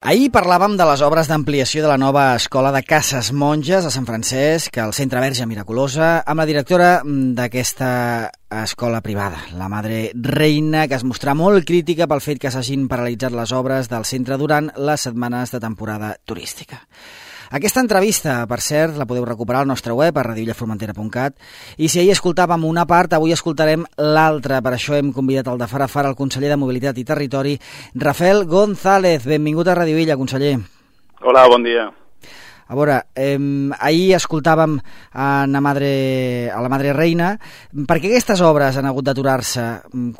Ahir parlàvem de les obres d'ampliació de la nova escola de Cases Monges a Sant Francesc, al Centre Verge Miraculosa, amb la directora d'aquesta escola privada, la Madre Reina, que es mostrà molt crítica pel fet que s'hagin paralitzat les obres del centre durant les setmanes de temporada turística. Aquesta entrevista, per cert, la podeu recuperar al nostre web a radioillaformentera.cat, i si ahir escoltàvem una part, avui escoltarem l'altra. Per això hem convidat al de fara a fara el conseller de Mobilitat i Territori, Rafael González. Benvingut a Radio Illa, conseller. Hola, bon dia. A veure, ahir escoltàvem a la Madre Reina. Per què aquestes obres han hagut d'aturar-se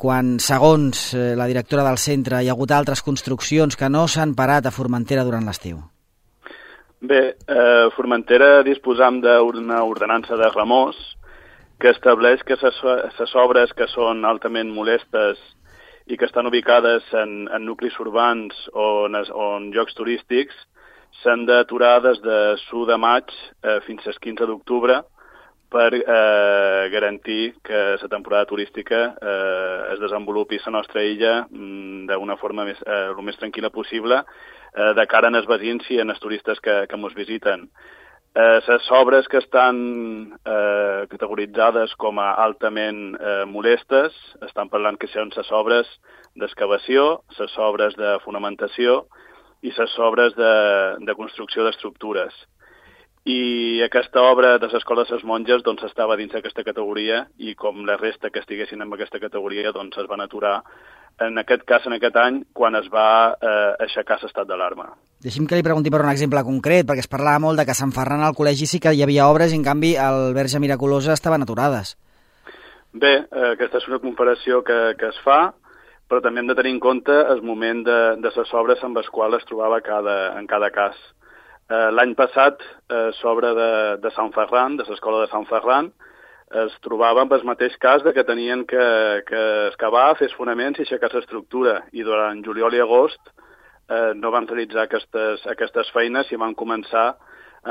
quan, segons la directora del centre, hi ha hagut altres construccions que no s'han parat a Formentera durant l'estiu? Bé, a Formentera disposam d'una ordenança de remors que estableix que les obres que són altament molestes i que estan ubicades en nuclis urbans o en llocs turístics s'han d'aturar des de l'1 de maig fins al 15 d'octubre per garantir que la temporada turística es desenvolupi a la nostra illa d'una forma el més tranquil·la possible de cara als veïns i als turistes que ens visiten. Les obres que estan categoritzades com a altament molestes, estan parlant que són les obres d'excavació, les obres de fonamentació i les obres de construcció d'estructures. I aquesta obra de l'Escola de les Monges doncs, estava dins d'aquesta categoria i com la resta que estiguessin en aquesta categoria doncs, es van aturar en aquest cas, en aquest any, quan es va aixecar l'estat d'alarma. Deixi'm que li pregunti per un exemple concret, perquè es parlava molt de que a Sant Ferran al col·legi sí que hi havia obres i, en canvi, al Verge Miraculosa estaven aturades. Bé, aquesta és una comparació que es fa, però també hem de tenir en compte el moment de les obres amb les quals es trobava en cada cas. L'any passat, l'obra de Sant Ferran, de l'Escola de Sant Ferran, es trobava amb el mateix cas de que tenien que excavar, fer fonaments i aixecar l'estructura. I durant juliol i agost no van realitzar aquestes feines i van començar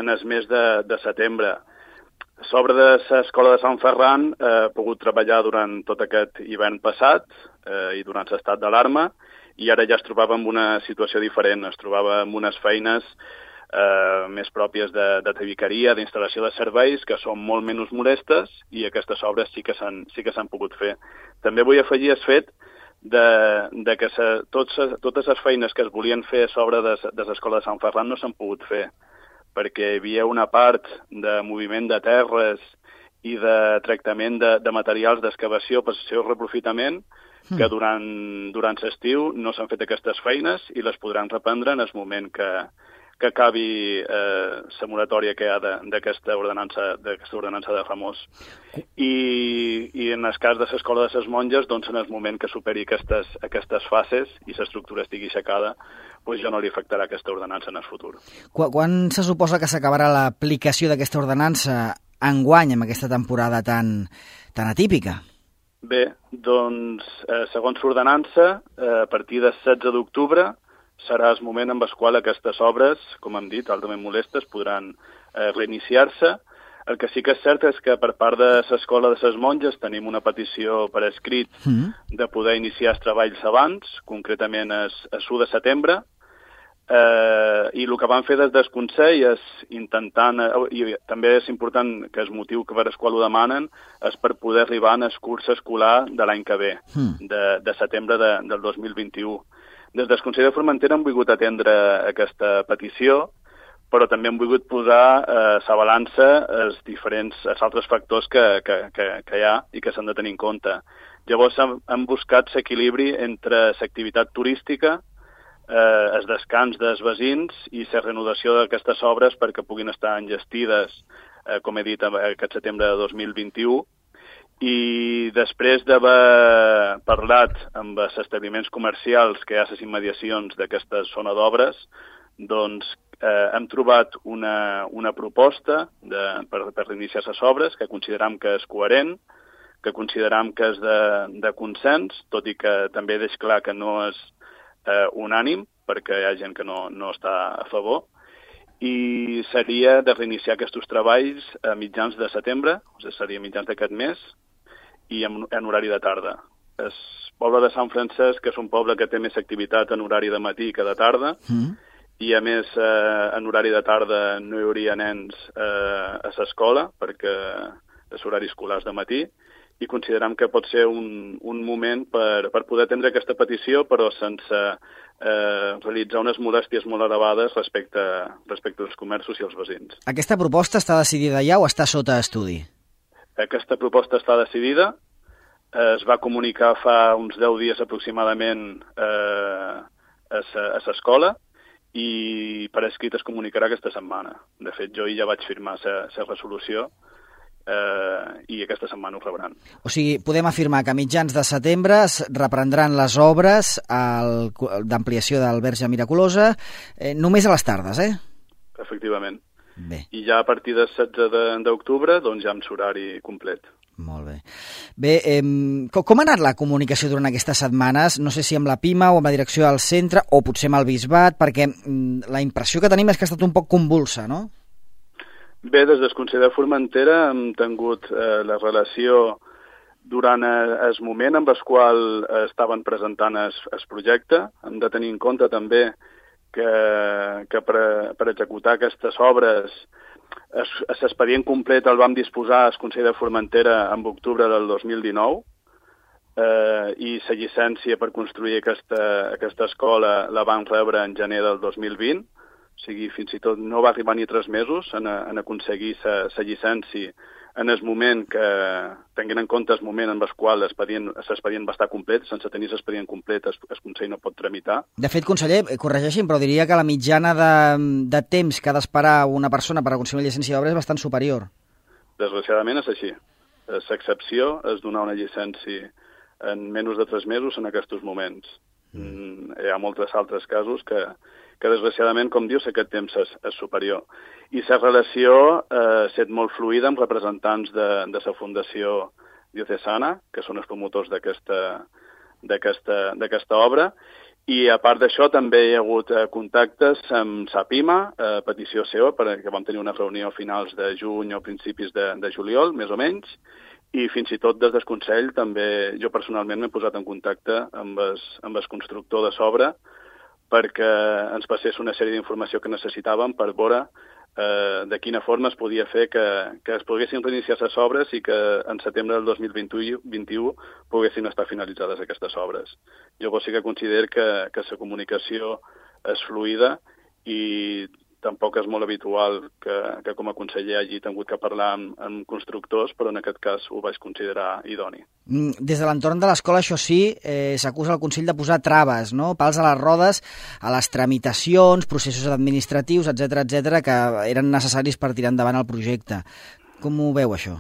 en el mes de setembre. L'obra de l'Escola de Sant Ferran ha pogut treballar durant tot aquest hivern passat i durant l'estat d'alarma i ara ja es trobava en una situació diferent. Es trobava en unes feines més pròpies de tabiqueria, d'instal·lació de serveis, que són molt menys molestes i aquestes obres sí que s'han pogut fer. També vull afegir el fet de que totes les feines que es volien fer a sobre de l'Escola de Sant Ferran no s'han pogut fer, perquè hi havia una part de moviment de terres i de tractament de materials d'excavació per al seu reprofitament, que durant l'estiu no s'han fet aquestes feines i les podran reprendre en el moment que acabi la moratòria que hi ha d'aquesta ordenança de remors. I en el cas de l'Escola de les Monges, doncs en el moment que superi aquestes fases i l'estructura estigui aixecada, doncs ja no li afectarà aquesta ordenança en el futur. Quan se suposa que s'acabarà l'aplicació d'aquesta ordenança enguany, amb aquesta temporada tan atípica? Bé, doncs, segons l'ordenança, a partir del 16 d'octubre, serà el moment en el qual aquestes obres, com hem dit, altament molestes, podran reiniciar-se. El que sí que és cert és que per part de l'Escola de les Monges tenim una petició per escrit de poder iniciar els treballs abans, concretament el 1 de setembre, i el que van fer des del Consell és intentant, i també és important que el motiu per el qual ho demanen és per poder arribar en el curs escolar de l'any que ve, de setembre del 2021. Des del Consell de Formentera hem volgut atendre aquesta petició, però també hem volgut posar a la balança els altres factors que hi ha i que s'han de tenir en compte. Llavors hem buscat l'equilibri entre l'activitat turística, el descans dels veïns i la reanudació d'aquestes obres perquè puguin estar enllestides, com he dit, aquest setembre de 2021, i després d'haver parlat amb els establiments comercials que hi ha a les immediacions d'aquesta zona d'obres, doncs hem trobat una proposta per reiniciar les obres que consideram que és coherent, que consideram que és de consens, tot i que també deix clar que no és unànim, perquè hi ha gent que no està a favor, i seria de reiniciar aquests treballs a mitjans de setembre, o sigui, seria mitjans d'aquest mes, i en horari de tarda. El poble de Sant Francesc és un poble que té més activitat en horari de matí que de tarda, i a més en horari de tarda no hi hauria nens a l'escola perquè és horari escolar de matí, i considerem que pot ser un moment per poder atendre aquesta petició, però sense realitzar unes molèsties molt elevades respecte als comerços i als veïns. Aquesta proposta està decidida ja o està sota estudi? Aquesta proposta està decidida, es va comunicar fa uns 10 dies aproximadament a l'escola, i per escrit es comunicarà aquesta setmana. De fet, jo ja vaig firmar la resolució i aquesta setmana ho rebran. O sigui, podem afirmar que a mitjans de setembre es reprendran les obres d'ampliació del Verge Miraculosa només a les tardes, Efectivament. Bé. I ja a partir del 16 d'octubre doncs ja amb l'horari complet. Molt bé. Bé, com ha anat la comunicació durant aquestes setmanes? No sé si amb la PIMA o amb la direcció del centre o potser amb el Bisbat, perquè la impressió que tenim és que ha estat un poc convulsa, no? Bé, des del Consell de Formentera hem tingut la relació durant el moment en el qual estaven presentant el projecte. Hem de tenir en compte també que per executar aquestes obres l'expedient complet el vam disposar al Consell de Formentera en octubre del 2019 i la llicència per construir aquesta escola la vam rebre en gener del 2020. O sigui, fins i tot no va arribar ni 3 mesos en aconseguir la llicència en el moment que, tenint en compte el moment en el qual l'expedient va estar complet, sense tenir l'expedient complet el Consell no pot tramitar. De fet, conseller, corregeixi'm, però diria que la mitjana de temps que ha d'esperar una persona per aconseguir una llicència d'obra és bastant superior. Desgraciadament és així. L'excepció és donar una llicència en menys de 3 mesos en aquests moments. Hi ha molts altres casos que desgraciadament, com dius, aquest temps és superior. I la relació ha estat molt fluida amb representants de la Fundació Diocesana, que són els promotors d'aquesta obra, i a part d'això també hi ha hagut contactes amb la PIMA, a petició seva, perquè vam tenir una reunió a finals de juny o principis de juliol, més o menys, i fins i tot des del Consell també jo personalment m'he posat en contacte amb el constructor de l'obra perquè ens passés una sèrie d'informació que necessitàvem per veure de quina forma es podia fer que es poguessin reiniciar les obres i que en setembre del 2021 poguessin estar finalitzades aquestes obres. Jo sí que considero que la comunicació és fluida i tampoc és molt habitual que com a conseller hagi tingut que parlar amb constructors, però en aquest cas ho vaig considerar idoni. Des de l'entorn de l'escola, això sí, s'acusa el Consell de posar traves, no? Pals a les rodes, a les tramitacions, processos administratius, etc que eren necessaris per tirar endavant el projecte. Com ho veu, això?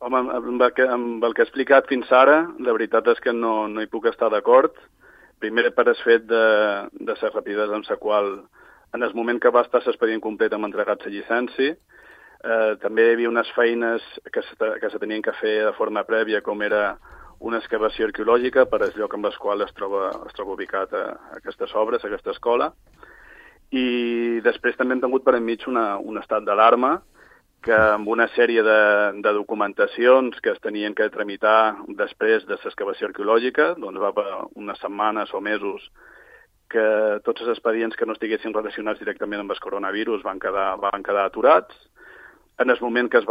Home, amb el que he explicat fins ara, la veritat és que no hi puc estar d'acord. Primer, per el fet de la rapidesa amb la qual en el moment que va estar l'expedient complet hem entregat la llicència. També hi havia unes feines que se tenien que fer de forma prèvia, com era una excavació arqueològica per al lloc en el qual es troba ubicat aquestes obres, aquesta escola. I després també hem tingut per enmig un estat d'alarma que amb una sèrie de documentacions que es tenien que tramitar després de l'excavació arqueològica, doncs va per unes setmanes o mesos que tots els expedients que no estiguessin relacionats directament amb el coronavirus van quedar aturats. En el moment que es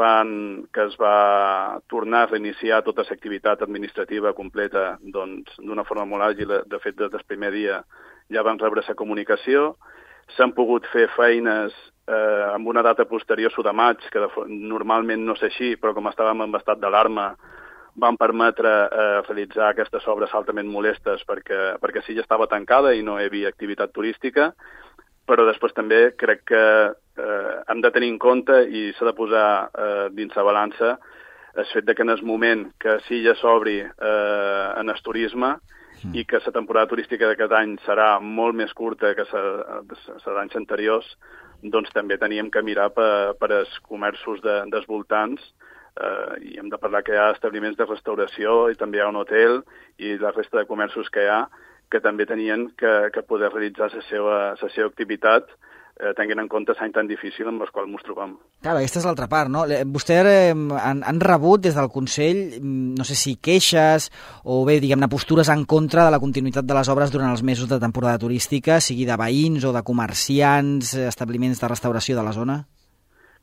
va tornar a reiniciar tota l'activitat administrativa completa d'una forma molt àgil, de fet des del primer dia ja vam rebre la comunicació, s'han pogut fer feines amb una data posterior de maig, que normalment no és així, però com estàvem en estat d'alarma van permetre realitzar aquestes obres altament molestes perquè sí ja estava tancada i no hi havia activitat turística, però després també crec que hem de tenir en compte i s'ha de posar dins la balança el fet que en el moment que sí ja s'obri en el turisme i que la temporada turística d'aquest any serà molt més curta que la d'anys anteriors, doncs també teníem que mirar per als comerços dels voltants i hem de parlar que hi ha establiments de restauració i també hi ha un hotel i la resta de comerços que hi ha que també tenien que poder realitzar la seva activitat tenint en compte l'any tan difícil amb el qual ens trobem. Clar, aquesta és l'altra part, no? Vostè han rebut des del Consell, no sé si queixes o bé, diguem-ne, postures en contra de la continuïtat de les obres durant els mesos de temporada turística, sigui de veïns o de comerciants, establiments de restauració de la zona?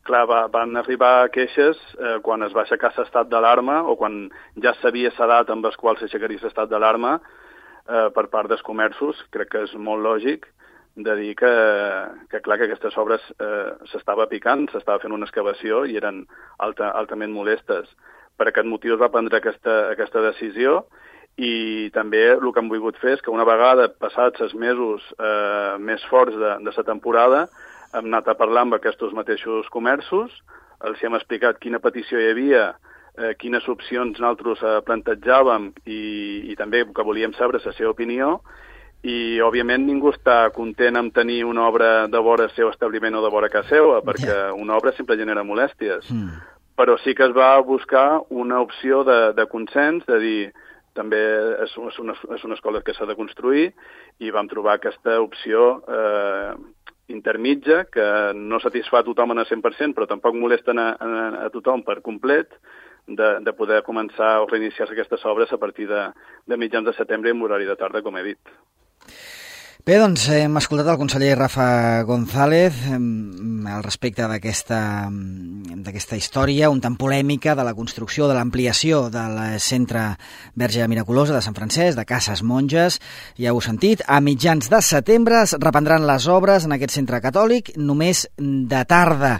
Clar, van arribar queixes quan es va aixecar l'estat d'alarma o quan ja s'havia sedat amb els quals s'aixecaria l'estat d'alarma per part dels comerços. Crec que és molt lògic de dir que clar, que aquestes obres s'estava picant, s'estava fent una excavació i eren altament molestes. Per aquest motiu es va prendre aquesta decisió i també el que hem volgut fer és que una vegada passats els mesos més forts de la temporada hem anat a parlar amb aquests mateixos comerços, els hem explicat quina petició hi havia, quines opcions nosaltres plantejàvem i també que volíem saber la seva opinió. I, òbviament, ningú està content amb tenir una obra de vora seu establiment o de vora casa seva, perquè una obra sempre genera molèsties. Però sí que es va buscar una opció de consens, de dir, també és una escola que s'ha de construir, i vam trobar aquesta opció intermitja, que no satisfà a tothom en el 100%, però tampoc molesten a tothom per complet, de poder començar o reiniciar-se aquestes obres a partir de mitjans de setembre en horari de tarda, com he dit. Bé, doncs hem escoltat el conseller Rafa González al respecte d'aquesta història un tant polèmica de la construcció, de l'ampliació del centre Verge Miraculosa de Sant Francesc, de Cases Monges. Ja ho heu sentit, a mitjans de setembre es reprendran les obres en aquest centre catòlic només de tarda,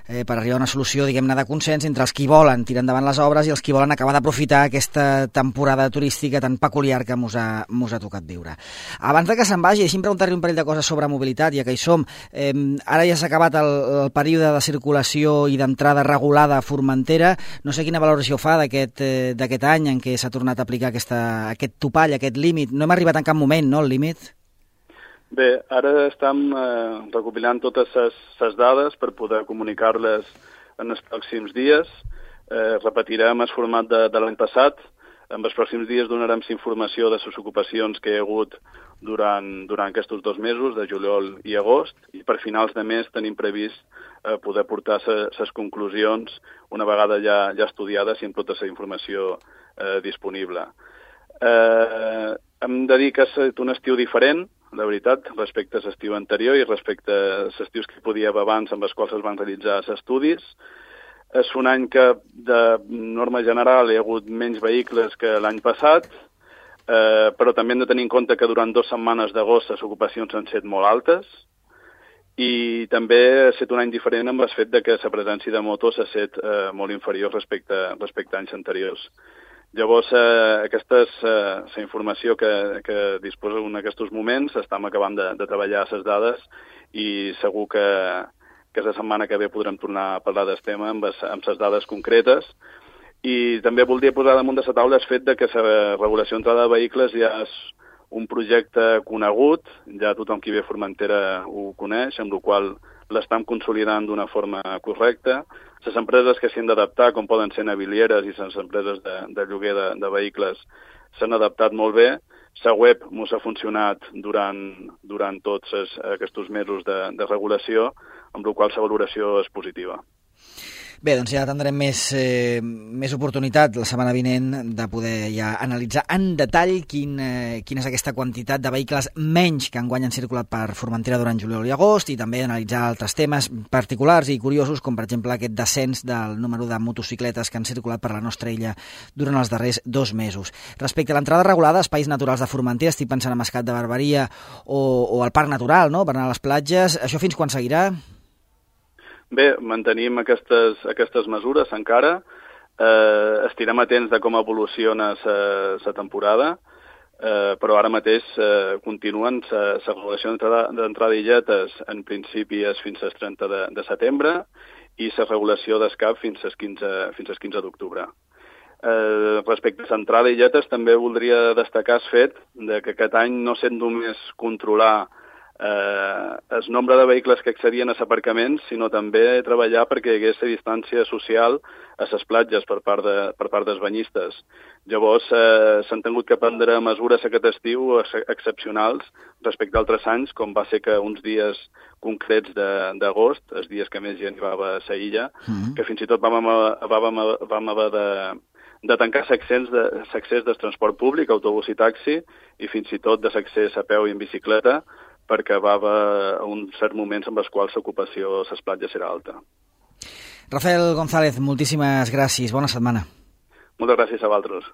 per arribar a una solució, diguem-ne, de consens entre els qui volen tirar endavant les obres i els qui volen acabar d'aprofitar aquesta temporada turística tan peculiar que mos ha tocat viure. Abans de que se'n vagi, deixi'm preguntar-li un parell de coses sobre mobilitat, ja que hi som. Ara ja s'ha acabat el període de circulació i d'entrada regulada a Formentera. No sé quina valoració fa d'aquest any en què s'ha tornat a aplicar aquest topall, aquest límit. No hem arribat en cap moment, no, al límit? Bé, ara estem recopilant totes les dades per poder comunicar-les en els pròxims dies. Repetirem el format de l'any passat. En els pròxims dies donarem informació de les ocupacions que hi ha hagut durant aquests 2 mesos, de juliol i agost, i per finals de mes tenim previst poder portar les conclusions una vegada ja estudiades i amb tota la informació disponible. Hem de dir que ha estat un estiu diferent, la veritat, respecte a l'estiu anterior i respecte a els estius que hi podia haver abans amb els quals es van realitzar els estudis. És un any que, de norma general, hi ha hagut menys vehicles que l'any passat, però també hem de tenir en compte que durant 2 setmanes d'agost les ocupacions han estat molt altes i també ha estat un any diferent amb el fet que la presència de motos ha estat molt inferior respecte a anys anteriors. Llavors, aquesta és la informació que disposa en aquests moments. Estem acabant de treballar les dades i segur que la setmana que ve podrem tornar a parlar del tema amb les dades concretes. I també voldria posar damunt de la taula el fet que la regulació d'entrada de vehicles ja és un projecte conegut, ja tothom qui ve a Formentera ho coneix, amb la qual l'estem consolidant d'una forma correcta. Les empreses que s'hi han d'adaptar, com poden ser navilieres i les empreses de lloguer de vehicles, s'han adaptat molt bé. La web ens ha funcionat durant tots aquests mesos de regulació, amb la qual la valoració és positiva. Bé, doncs ja tindrem més oportunitat la setmana vinent de poder ja analitzar en detall quina és aquesta quantitat de vehicles menys que enguany han circulat per Formentera durant juliol i agost, i també analitzar altres temes particulars i curiosos, com per exemple aquest descens del número de motocicletes que han circulat per la nostra illa durant els darrers 2 mesos. Respecte a l'entrada regulada a espais naturals de Formentera, estic pensant en Mascat de Barberia o al Parc Natural, no?, per anar a les platges. Això fins quan seguirà? Bé, mantenim aquestes mesures encara. Estirem atents de com evoluciona la temporada, però ara mateix continuen la regulació d'entrada d'illetes en principi és fins al 30 de setembre i la regulació d'escap fins al 15 d'octubre. Respecte a l'entrada d'illetes també voldria destacar el fet que aquest any no sent només controlar el nombre de vehicles que accedien a l'aparcament, sinó també treballar perquè hi hagués distància social a les platges per part dels banyistes. Llavors, s'han tingut que prendre mesures aquest estiu excepcionals respecte a altres anys, com va ser que uns dies concrets d'agost, els dies que més gent hi va a la illa, que fins i tot vam haver de tancar l'accés del transport públic, autobús i taxi, i fins i tot de l'accés a peu i en bicicleta, perquè va haver uns certs moments en els quals l'ocupació a les platges era alta. Rafael González, moltíssimes gràcies. Bona setmana. Moltes gràcies a vosaltres.